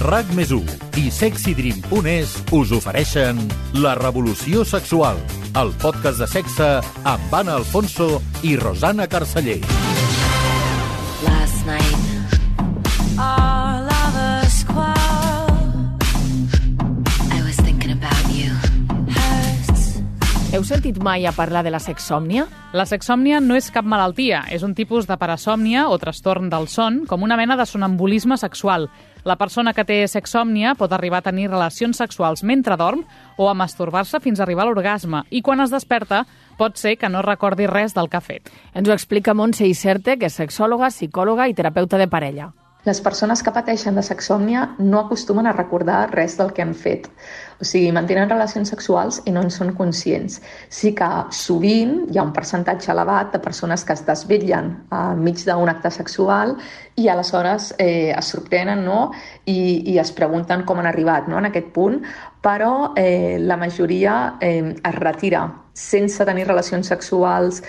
RAC+1 i SexyDream.es us ofereixen La Revolució Sexual, el podcast de sexe amb Anna Alfonso i Rosana Carceller. Last night, all of us quarreled. I was thinking about you. Hurts. Heu sentit mai a parlar de la sexsòmnia? La sexsòmnia no és cap malaltia, és un tipus de parasòmnia o trastorn del son, com una mena de sonambulisme sexual. La persona que té sexsòmnia pot arribar a tenir relacions sexuals mentre dorm o a masturbar-se fins a arribar a l'orgasme, i quan es desperta pot ser que no recordi res del que ha fet. Ens ho explica Montse Iserte, que és sexòloga, psicòloga i terapeuta de parella. Les persones que pateixen de sexsòmnia no acostumen a recordar res del que han fet. O sigui, mantenen relacions sexuals i no en són conscients. Sí que sovint hi ha un percentatge elevat de persones que es desvetllen enmig d'un acte sexual i aleshores es sorprenen, no? I es pregunten com han arribat, no? En aquest punt, però la majoria es retira sense tenir relacions sexuals,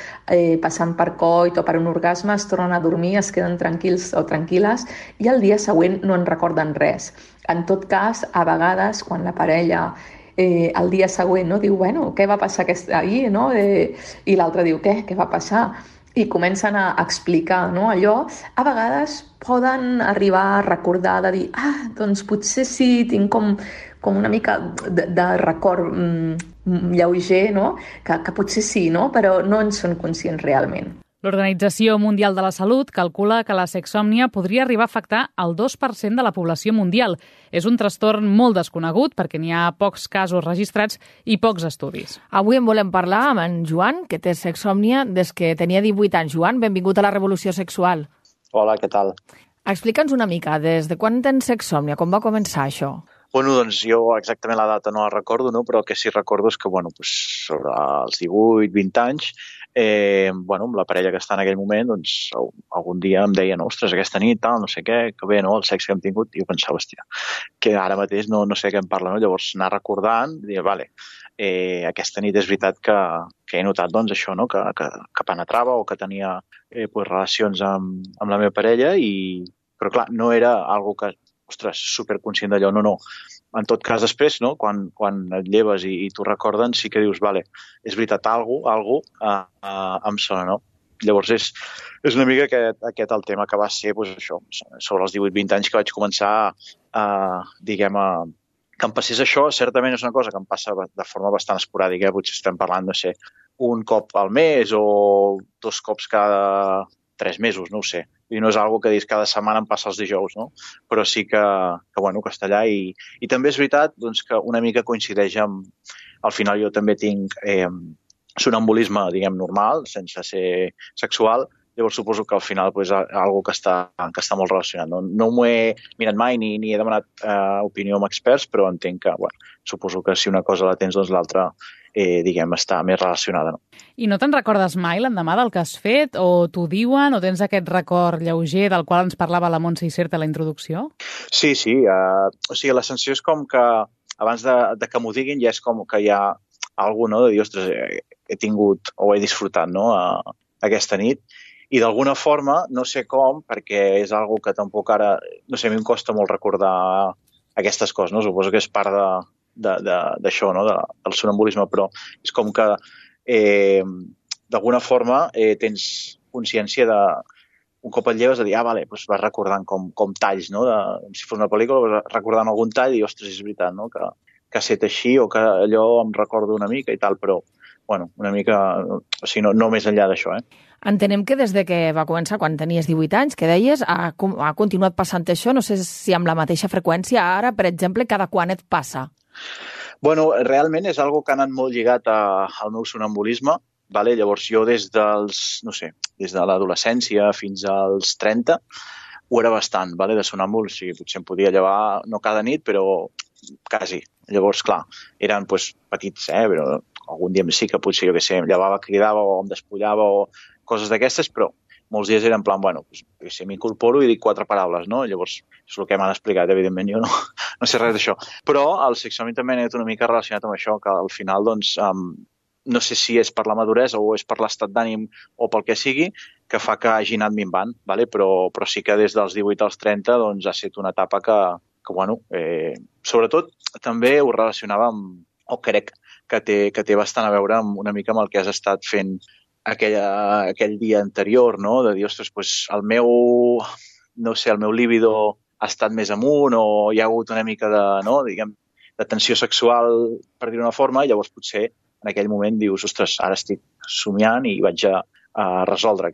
passant per coit o per un orgasme, es tornen a dormir, es queden tranquils o tranquil·les i el dia següent no en recorden res. En tot cas, a vegades, quan la parella el dia següent no, diu, bueno, què va passar ahir? No? I l'altre diu, què va passar? I comencen a explicar, no, allò. A vegades poden arribar a recordar, de dir, doncs potser sí, tinc com una mica de record lleuger, no? Que potser sí, no? Però no en són conscients realment. L'Organització Mundial de la Salut calcula que la sexsòmnia podria arribar a afectar el 2% de la població mundial. És un trastorn molt desconegut perquè n'hi ha pocs casos registrats i pocs estudis. Avui en volem parlar amb en Joan, que té sexsòmnia des que tenia 18 anys. Joan, benvingut a la Revolució Sexual. Hola, què tal? Explica'ns una mica, des de quan tens sexsòmnia, com va començar això? Bueno, doncs jo exactament la data no la recordo, no? Però el que sí recordo és que, sobre els 18-20 anys, amb la parella que està en aquell moment, doncs algun dia em deia, ostres, aquesta nit, tal, no sé què, que bé, no?, el sexe que hem tingut, i jo pensava, hòstia, que ara mateix no sé què em parla, no? Llavors anar recordant, dir, vale, aquesta nit és veritat que he notat, doncs, això, no?, que penetrava o que tenia relacions amb la meva parella, però clar, no era algo que, ostres, superconscient d'allò, no. En tot cas, després, no, quan et lleves i t'ho recorden, sí que dius, vale, és veritat, algú em sona, no? Llavors és una mica aquest el tema que va ser, doncs això, sobre els 18-20 anys que vaig començar que em passés això. Certament és una cosa que em passa de forma bastant esporàdica, potser estem parlant, no sé, un cop al mes o 2 cops cada 3 mesos, no ho sé. I no és algo que dius cada setmana em passa els dijous, no? Però sí que està allà i també és veritat doncs, que una mica coincideix amb... Al final jo també tinc sonambulisme, diguem, normal, sense ser sexual, llavors suposo que al final és algo que està molt relacionat. No m'ho he mirat mai ni he demanat opinió amb experts, però entenc que, suposo que si una cosa la tens, doncs l'altra està més relacionada. No? I no te'n recordes mai l'endemà del que has fet? O t'ho diuen? O tens aquest record lleuger del qual ens parlava la Montse Iserte a la introducció? Sí. O sigui, la sensació és com que abans de que m'ho diguin ja és com que hi ha algú, no?, de dir, ostres, he tingut o he disfrutat, no?, aquesta nit. I d'alguna forma, no sé com, perquè és algo que tampoc ara... No sé, a mi em costa molt recordar aquestes coses, no? Suposo que és part d'això, no?, del sonambulisme, però és com que d'alguna forma tens consciència de... Un cop et lleves a dir, vale, doncs vas recordant com talls, no?, si fos una pel·lícula, vas recordant algun tall i, ostres, és veritat, no?, que ha estat així o que allò em recordo una mica i tal, però, una mica... O sigui, no més enllà d'això, Entenem que des de que va començar, quan tenies 18 anys, que deies, ha continuat passant això, no sé si amb la mateixa freqüència, ara, per exemple, cada quan et passa? Realment és algo que ha anat molt lligat al meu sonambulisme, vale? Llavors jo des de l'adolescència fins als 30 ho era bastant, vale? De sonàmbul, o sigui, potser em podia llevar, no cada nit, però quasi. Llavors, clar, eren petits, però algun dia sí que potser, jo què sé, em llevava, cridava o em despullava o coses d'aquestes, però molts dies era en plan, si m'incorporo i dic 4 paraules, no? Llavors, és el que m'han explicat, evidentment, jo no sé res d'això. Però el sexsòmnia també ha anat una mica relacionat amb això, que al final, doncs, no sé si és per la maduresa o és per l'estat d'ànim o pel que sigui, que fa que hagi anat minvant, vale? Però sí que des dels 18 als 30 doncs, ha estat una etapa que bueno, sobretot també ho relacionava amb, o crec que té bastant a veure amb una mica amb el que has estat fent aquell dia anterior, no? De dir, ostres, doncs el meu líbido ha estat més amunt o hi ha hagut una mica de tensió sexual, per dir-ho d'una forma, i llavors potser en aquell moment dius, ostres, ara estic somiant i vaig a resoldre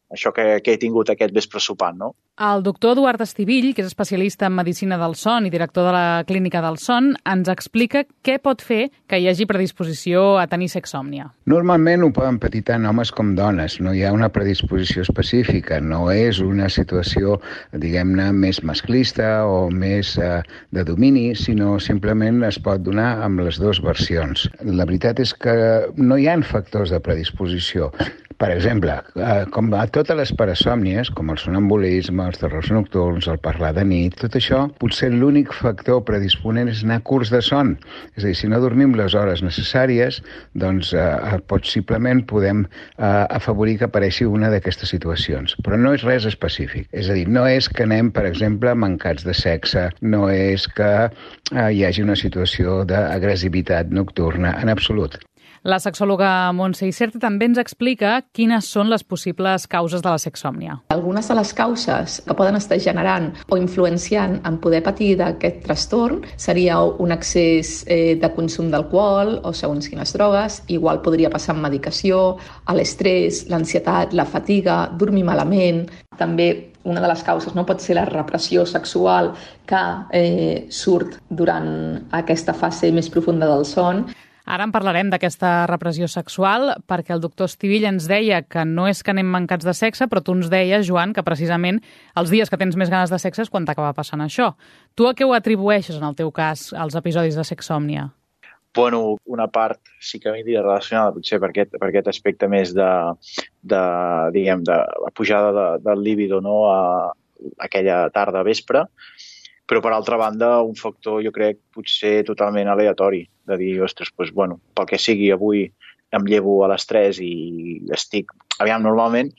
això que he tingut aquest vespre sopant, no? El doctor Eduard Estivill, que és especialista en medicina del son i director de la Clínica del Son, ens explica què pot fer que hi hagi predisposició a tenir sexsòmnia. Normalment ho poden patir tant homes com dones, no hi ha una predisposició específica, no és una situació, diguem-ne, més masclista o més de domini, sinó simplement es pot donar amb les dues versions. La veritat és que no hi ha factors de predisposició. Per exemple, com a totes les parasòmnies, com el sonambulisme, els terrors nocturns, el parlar de nit, tot això, potser l'únic factor predisponent és anar curts de son. És a dir, si no dormim les hores necessàries, doncs possiblement podem afavorir que apareixi una d'aquestes situacions. Però no és res específic. És a dir, no és que anem, per exemple, mancats de sexe, no és que hi hagi una situació d'agressivitat nocturna, en absolut. La sexòloga Montse Iserte també ens explica quines són les possibles causes de la sexsòmnia. Algunes de les causes que poden estar generant o influenciant en poder patir d'aquest trastorn seria un excés de consum d'alcohol o segons quines drogues, igual podria passar amb medicació, l'estrès, l'ansietat, la fatiga, dormir malament. També una de les causes no pot ser la repressió sexual que surt durant aquesta fase més profunda del son. Ara en parlarem d'aquesta repressió sexual perquè el doctor Estivill ens deia que no és que anem mancats de sexe, però tu ens deies, Joan, que precisament els dies que tens més ganes de sexe és quan t'acaba passant això. Tu a què ho atribueixes, en el teu cas, als episodis de sexsòmnia? Bueno, una part sí que m'hi relacionada potser per aquest aspecte més de la pujada del líbido, no, a aquella tarda vespre, però per altra banda un factor jo crec potser totalment aleatori, de dir, ostres, doncs, bueno, pel que sigui avui em llevo a les 3 i estic... Aviam, normalment,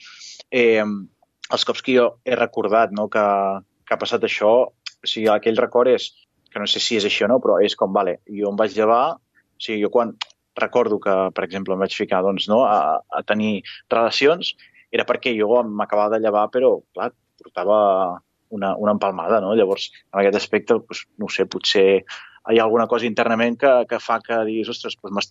els cops que jo he recordat, no, que ha passat això, o sigui, aquell record és, que no sé si és així o no, però és com, vale, jo em vaig llevar, o sigui, jo quan recordo que, per exemple, em vaig ficar doncs, no, a tenir relacions, era perquè jo m'acabava de llevar, però, clar, portava una empalmada, no? Llavors, en aquest aspecte, doncs, no ho sé, potser hi ha alguna cosa internament que fa que diguis, ostres, doncs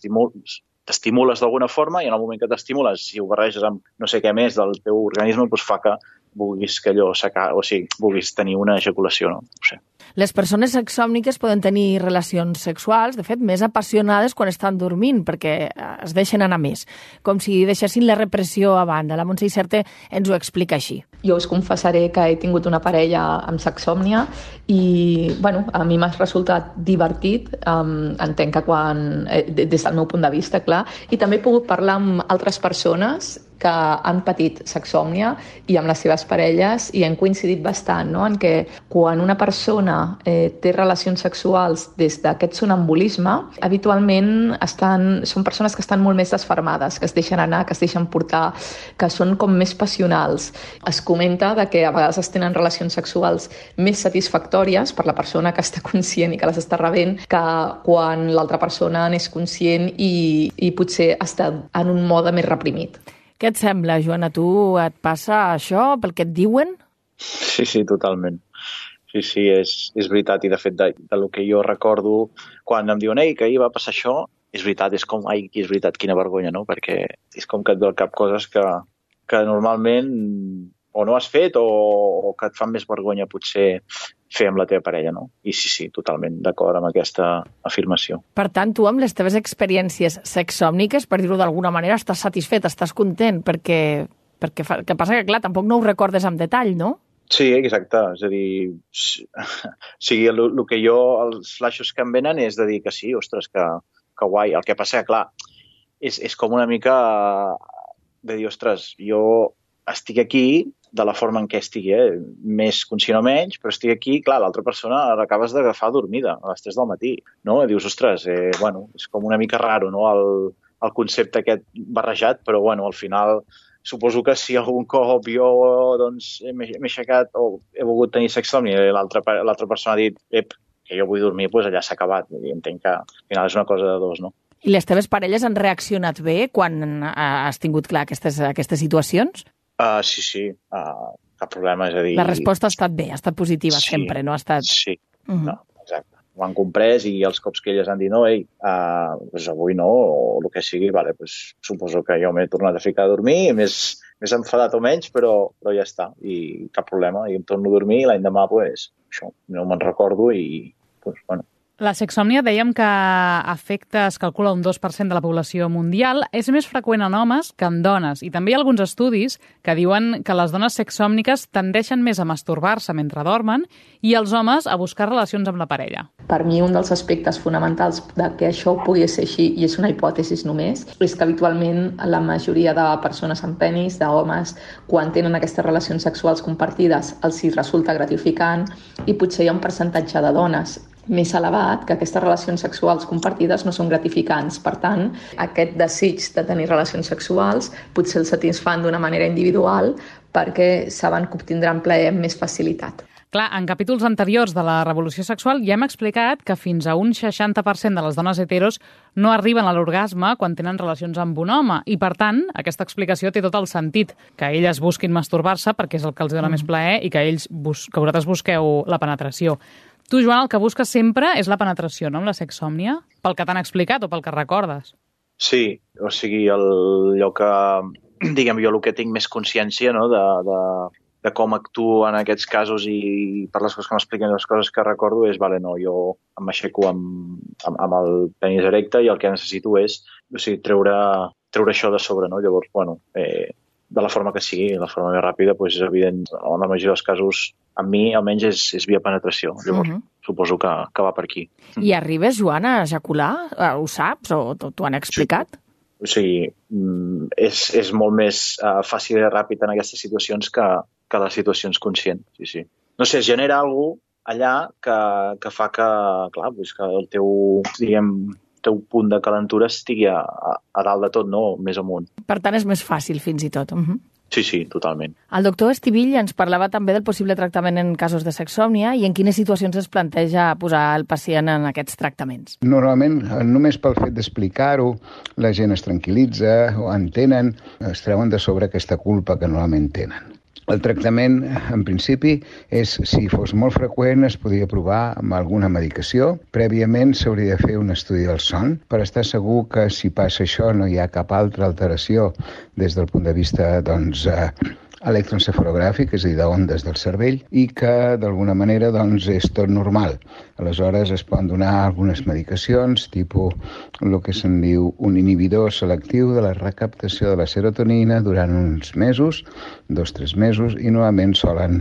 t'estimules d'alguna forma i en el moment que t'estimules, si ho barreges amb no sé què més del teu organisme, doncs fa que vulguis que allò o sigui, vulguis tenir una ejaculació, no? No sé. Les persones sexsòmniques poden tenir relacions sexuals, de fet, més apassionades quan estan dormint, perquè es deixen anar més, com si deixessin la repressió a banda. La Montse Iserte ens ho explica així. Jo us confessaré que he tingut una parella amb sexsòmnia i, bueno, a mi m'ha resultat divertit, entenc que des del meu punt de vista, clar, i també he pogut parlar amb altres persones que han patit sexsòmnia i amb les seves parelles i han coincidit bastant, no?, en què quan una persona té relacions sexuals des d'aquest sonambulisme, habitualment són persones que estan molt més desfermades, que es deixen anar, que es deixen portar, que són com més passionals. Es comenta que a vegades es tenen relacions sexuals més satisfactòries per la persona que està conscient i que les està rebent que quan l'altra persona n'és conscient i potser està en un mode més reprimit. Què et sembla, Joan? A tu et passa això pel que et diuen? Sí, totalment. Sí, és veritat. I de fet, del que jo recordo, quan em diuen que ahir va passar això, és veritat, és com, és veritat, quina vergonya, no? Perquè és com que et ve al cap coses que normalment o no has fet o que et fan més vergonya potser fer amb la teva parella, no? I sí, totalment d'acord amb aquesta afirmació. Per tant, tu amb les teves experiències sexsòmniques, per dir-ho d'alguna manera, estàs satisfet, estàs content, perquè que passa que, clar, tampoc no ho recordes amb detall, no? Sí, exacte. És a dir, el que els flaixos que em venen és de dir que sí, ostres, que guai. El que passa que, clar, és com una mica de dir, ostres, jo estic aquí de la forma en què estigui, més conscient o menys, però estic aquí, clar, l'altra persona l'acabes d'agafar dormida a les 3 del matí, no? I dius, ostres, bueno, és com una mica raro, no?, el concepte aquest barrejat, però, bueno, al final suposo que si algun cop jo doncs, m'he aixecat o he volgut tenir sexsomnia i l'altra persona ha dit que jo vull dormir, doncs allà s'ha acabat. I entenc que al final és una cosa de dos, no? I les teves parelles han reaccionat bé quan has tingut clar aquestes situacions? Sí, cap problema, és a dir... La resposta ha estat bé, ha estat positiva sí, sempre, no ha estat... Sí, no, exacte. Ho han comprès i els cops que elles han dit no, doncs avui no, o el que sigui, vale, doncs suposo que jo m'he tornat a ficar a dormir, més enfadat o menys, però ja està, i cap problema, i em torno a dormir i l'endemà, doncs, això, no me'n recordo i, doncs, bueno. La sexsòmnia dèiem que afecta, es calcula un 2% de la població mundial. És més freqüent en homes que en dones. I també hi ha alguns estudis que diuen que les dones sexsòmniques tendeixen més a masturbar-se mentre dormen i els homes a buscar relacions amb la parella. Per mi, un dels aspectes fonamentals de que això pugui ser així, i és una hipòtesi només, és que habitualment la majoria de persones amb penis, d'homes, quan tenen aquestes relacions sexuals compartides, els hi resulta gratificant i potser hi ha un percentatge de dones més elevat que aquestes relacions sexuals compartides no són gratificants. Per tant, aquest desig de tenir relacions sexuals potser el satisfan d'una manera individual perquè saben que obtindran plaer amb més facilitat. Clar, en capítols anteriors de la revolució sexual ja hem explicat que fins a un 60% de les dones heteros no arriben a l'orgasme quan tenen relacions amb un home i, per tant, aquesta explicació té tot el sentit, que elles busquin masturbar-se perquè és el que els dona més plaer i que vosaltres busqueu la penetració. Tu, Joan, el que busques sempre és la penetració, no?, amb la sexsòmnia? Pel que t'han explicat o pel que recordes? Sí, o sigui, allò que, diguem, jo el que tinc més consciència, no?, de com actuo en aquests casos i per les coses que m'expliquen, les coses que recordo és, vale, no, jo m'aixeco amb el penis erecte i el que necessito és, o sigui, treure això de sobre, no? Llavors, bueno, de la forma que sigui, la forma més ràpida, doncs és evident, en la majoria dels casos, amb mi almenys és via penetració. Llavors, suposo que va per aquí. I arribes, Joan, a ejacular? Ho saps o t'ho han explicat? Sí. O sigui, és molt més fàcil i ràpid en aquestes situacions que les situacions conscients. Sí. No sé, es genera alguna cosa allà que fa que, clar, doncs que el teu punt de calentura estigui a dalt de tot, no? Més amunt. Per tant, és més fàcil, fins i tot. Sí, totalment. El doctor Estivill ens parlava també del possible tractament en casos de sexsòmnia i en quines situacions es planteja posar el pacient en aquests tractaments. Normalment, només pel fet d'explicar-ho, la gent es tranquil·litza o entenen, es treuen de sobre aquesta culpa que normalment tenen. El tractament, en principi, és, si fos molt freqüent, es podria provar amb alguna medicació. Prèviament s'hauria de fer un estudi del son per estar segur que si passa això no hi ha cap altra alteració des del punt de vista, doncs, electroencefalogràfic, és a dir, d'ondes del cervell, i que d'alguna manera doncs, és tot normal. Aleshores es poden donar algunes medicacions, tipus el que se'n diu un inhibidor selectiu de la recaptació de la serotonina durant uns mesos, 2-3 mesos, i normalment solen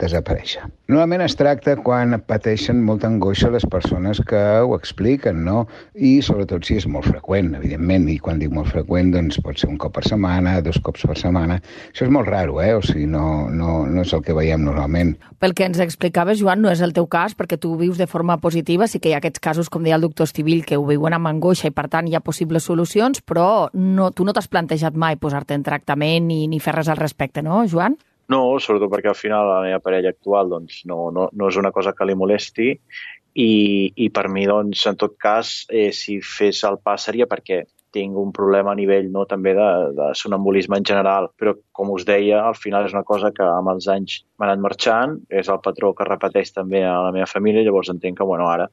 desaparèixer. Normalment es tracta quan pateixen molta angoixa les persones que ho expliquen, no? I sobretot si és molt freqüent, evidentment, i quan dic molt freqüent doncs pot ser un cop per setmana, 2 cops per setmana. Això és molt raro, o sigui, no és el que veiem normalment. Pel que ens explicaves, Joan, no és el teu cas, perquè tu ho vius de forma positiva, sí que hi ha aquests casos, com deia el doctor Estivill, que ho viuen amb angoixa i per tant hi ha possibles solucions, però tu no t'has plantejat mai posar-te en tractament ni fer res al respecte, no, Joan? No, sobretot perquè al final la meva parella actual doncs, no és una cosa que li molesti i per mi, doncs, en tot cas, si fes el pas seria perquè tinc un problema a nivell també de sonambulisme en general, però com us deia, al final és una cosa que amb els anys m'ha anat marxant, és el patró que repeteix també a la meva família, llavors entenc que ara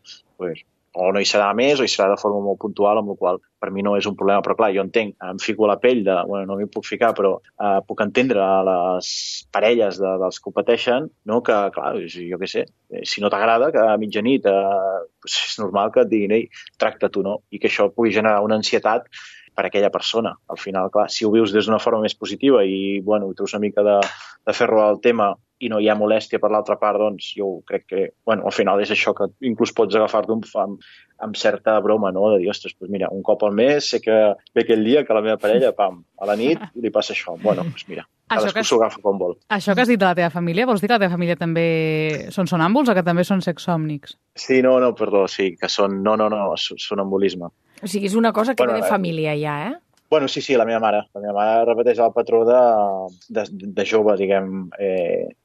o no hi serà més o hi serà de forma molt puntual, amb la qual per mi no és un problema. Però clar, jo entenc, em fico a la pell no m'hi puc ficar, però puc entendre les parelles dels que ho pateixen, no? Que, clar, jo què sé, si no t'agrada, que a mitjanit és normal que et diguin, ei, tracta tu, no? I que això pugui generar una ansietat per a aquella persona. Al final, clar, si ho vius des d'una forma més positiva i, treus una mica de ferro al tema i no hi ha molèstia per l'altra part, doncs jo crec que, al final és això que inclús pots agafar-te amb certa broma, no? De dir, ostres, doncs mira, un cop al mes sé que ve aquell dia que la meva parella, a la nit, li passa això. Mira, cadascú s'ho agafa com vol. Això que has dit de la teva família, vols dir que la teva família també són sonàmbuls o que també són sexsòmnics? Sí, perdó, sí, que són, sonambulisme. O sigui, és una cosa que ve de família ja, Bueno, sí, la meva mare. La meva mare repeteix el patró de jove, diguem,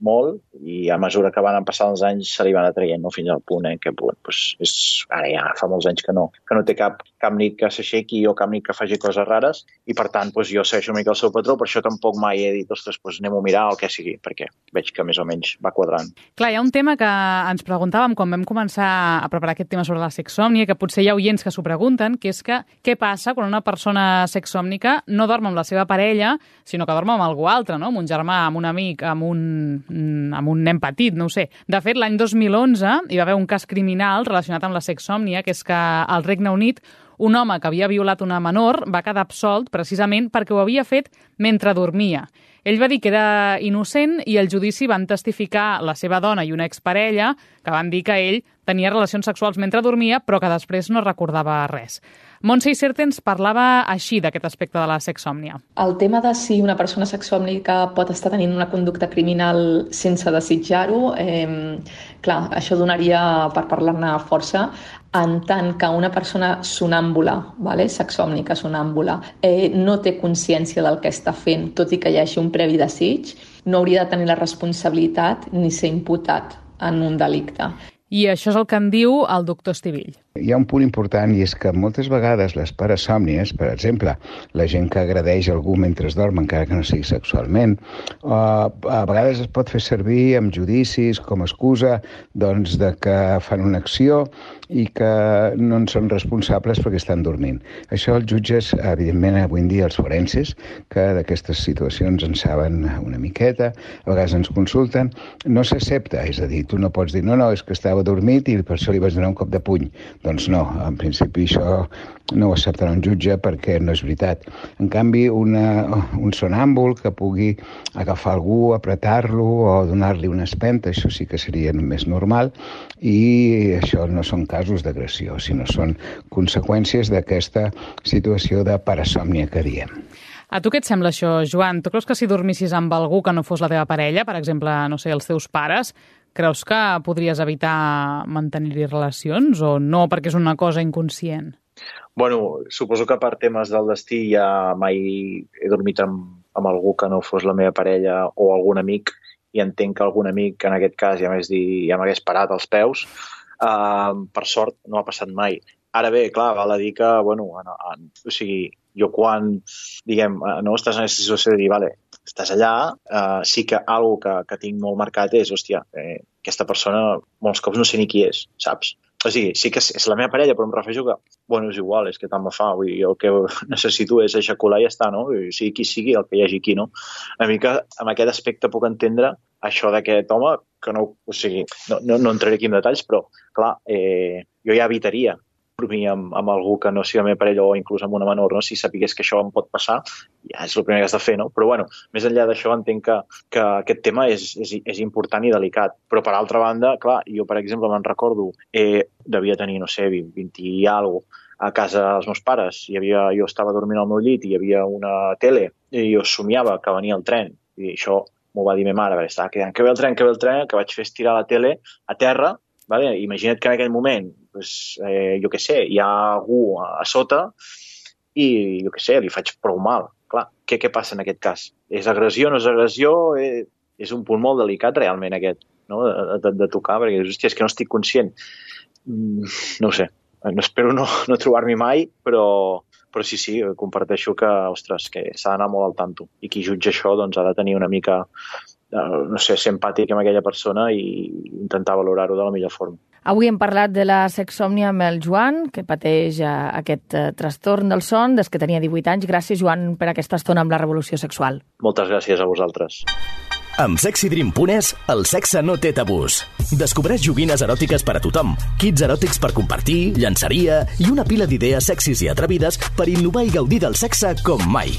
molt, i a mesura que van passant els anys se li van atraient, no? Fins al punt que ara ja fa molts anys que no té cap nit que s'aixequi o cap nit que faci coses rares, i per tant jo segueixo una mica el seu patró, per això tampoc mai he dit, ostres, anem a mirar o el que sigui, perquè veig que més o menys va quadrant. Clar, hi ha un tema que ens preguntàvem quan vam començar a preparar aquest tema sobre la sexsòmnia, que potser hi ha oients que s'ho pregunten, que és que què passa quan una persona sexsòmnica no dorm amb la seva parella, sinó que dorm amb algú altre, no? Amb un germà, amb un amic, amb un nen petit, no ho sé. De fet, l'any 2011 hi va haver un cas criminal relacionat amb la sexsòmnia, que és que al Regne Unit un home que havia violat una menor va quedar absolt precisament perquè ho havia fet mentre dormia. Ell va dir que era innocent i al judici van testificar la seva dona i una exparella que van dir que ell tenia relacions sexuals mentre dormia però que després no recordava res. Montse Iserte ens parlava així d'aquest aspecte de la sexsòmnia. El tema de si una persona sexsòmnica pot estar tenint una conducta criminal sense desitjar-ho, clar, això donaria per parlar-ne força, en tant que una persona sonàmbula, sexsòmnica sonàmbula, no té consciència del que està fent, tot i que hi hagi un previ desig, no hauria de tenir la responsabilitat ni ser imputat en un delicte. I això és el que en diu el doctor Estivill. Hi ha un punt important i és que moltes vegades les parasòmnies, per exemple, la gent que agredeix algú mentre es dorm, encara que no sigui sexualment, a vegades es pot fer servir amb judicis com a excusa doncs, de que fan una acció i que no en són responsables perquè estan dormint. Això els jutges, evidentment, avui en dia els forenses, que d'aquestes situacions en saben una miqueta, a vegades ens consulten, no s'accepta, és a dir, tu no pots dir no, és que estava dormit i per això li vas donar un cop de puny. Doncs no, en principi això no ho acceptarà un jutge perquè no és veritat. En canvi, un sonàmbul que pugui agafar algú, apretar-lo o donar-li una espenta, això sí que seria més normal, i això no són casos d'agressió, sinó són conseqüències d'aquesta situació de parasòmnia que diem. A tu què et sembla això, Joan? Tu creus que si dormissis amb algú que no fos la teva parella, per exemple, no sé, els teus pares, creus que podries evitar mantenir-hi relacions o no, perquè és una cosa inconscient? Bueno, suposo que per temes del destí ja mai he dormit amb algú que no fos la meva parella o algun amic, i entenc que algun amic, en aquest cas, ja m'hagués parat als peus. Per sort, no ha passat mai. Ara bé, clar, val a dir que, o sigui, jo quan, diguem, no estàs en aquesta situació de dir, vale, estàs allà, sí que algo que tinc molt marcat és, hòstia, aquesta persona molts cops no sé ni qui és, saps? O sigui, sí que és la meva parella, però em refereixo que, és igual, és que tant me fa, vull dir, el que necessito és eixacular i ja està, no? Sigui qui sigui, el que hi hagi aquí, no? Una mica, amb aquest aspecte puc entendre això d'aquest home, que no, o sigui, no entraré aquí en detalls, però, clar, jo ja evitaria dormir amb algú que no sigui la meva parella o inclús amb una menor, no? Si sapigués que això em pot passar, ja és el primer que has de fer, no? Però, més enllà d'això, entenc que aquest tema és important i delicat. Però, per altra banda, clar, jo, per exemple, me'n recordo, devia tenir, no sé, 20 i alguna cosa, a casa dels meus pares. Jo estava dormint al meu llit i hi havia una tele i jo somiava que venia el tren. I això m'ho va dir ma mare, estava cridant que ve el tren, que vaig fer estirar la tele a terra. Vale? Imagina't que en aquell moment, jo què sé, hi ha algú a sota i, jo què sé, li faig prou mal. Clar, què passa en aquest cas? És agressió, no és agressió? És un punt molt delicat realment aquest, no? de tocar, perquè hòstia, és que no estic conscient. No ho sé, espero no trobar-m'hi mai, però sí, comparteixo que, ostres, que s'ha d'anar molt al tanto. I qui jutja això doncs, ha de tenir una mica, no sé, ser empàtic amb aquella persona i intentar valorar-ho de la millor forma. Avui hem parlat de la sexsòmnia amb el Joan, que pateix aquest trastorn del son des que tenia 18 anys. Gràcies, Joan, per aquesta estona amb la revolució sexual. Moltes gràcies a vosaltres. Amb SexyDream.es, el sexe no té tabús. Descobreix joguines eròtiques per a tothom, kits eròtics per compartir, llançaria i una pila d'idees sexis i atrevides per innovar i gaudir del sexe com mai.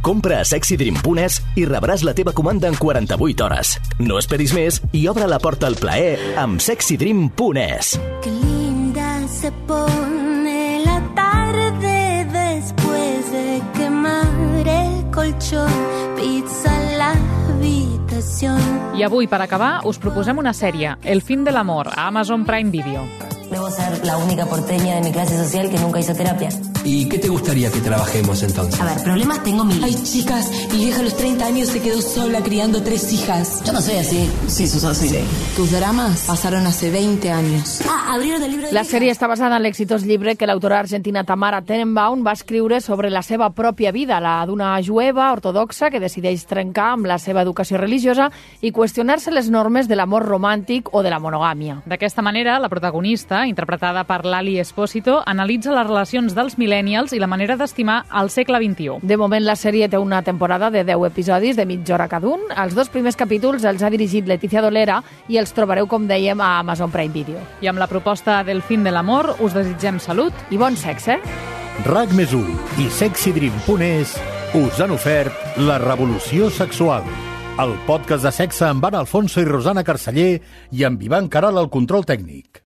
Compra a SexyDream.es i rebràs la teva comanda en 48 hores. No esperis més i obre la porta al plaer amb SexyDream.es. Qué linda se pone la tarde después de quemar el colchón, pizza en la habitación. I avui, per acabar, us proposem una sèrie, El fin del amor, a Amazon Prime Video. Debo ser la única porteña de mi clase social que nunca hizo terapia. ¿Y qué te gustaría que trabajemos entonces? A ver, problemas tengo mil. Ay, chicas, mi vieja a los 30 años se quedó sola criando 3 hijas. Yo no soy así. Sí, sos así. Sí. Tus dramas pasaron hace 20 años. Abrieron el libro de La sèrie està basada en l'exitós llibre que l'autora argentina Tamara Tenenbaum va escriure sobre la seva pròpia vida, la d'una jueva ortodoxa que decideix trencar amb la seva educació religiosa i qüestionar-se les normes de l'amor romàntic o de la monogàmia. D'aquesta manera, la protagonista, interpretada per Lali Espósito, analitza les relacions dels millennials i la manera d'estimar al segle XXI. De moment, la sèrie té una temporada de 10 episodis de mitja hora cada un. Els 2 primers capítols els ha dirigit Leticia Dolera i els trobareu, com dèiem, a Amazon Prime Video. I amb la proposta del fin de l'amor us desitgem salut i bon sexe. RAC+1 i sexydream.es us han ofert La Revolució Sexual, el podcast de sexe amb Anna Alfonso i Rosana Carceller i amb Ivan Caral al control tècnic.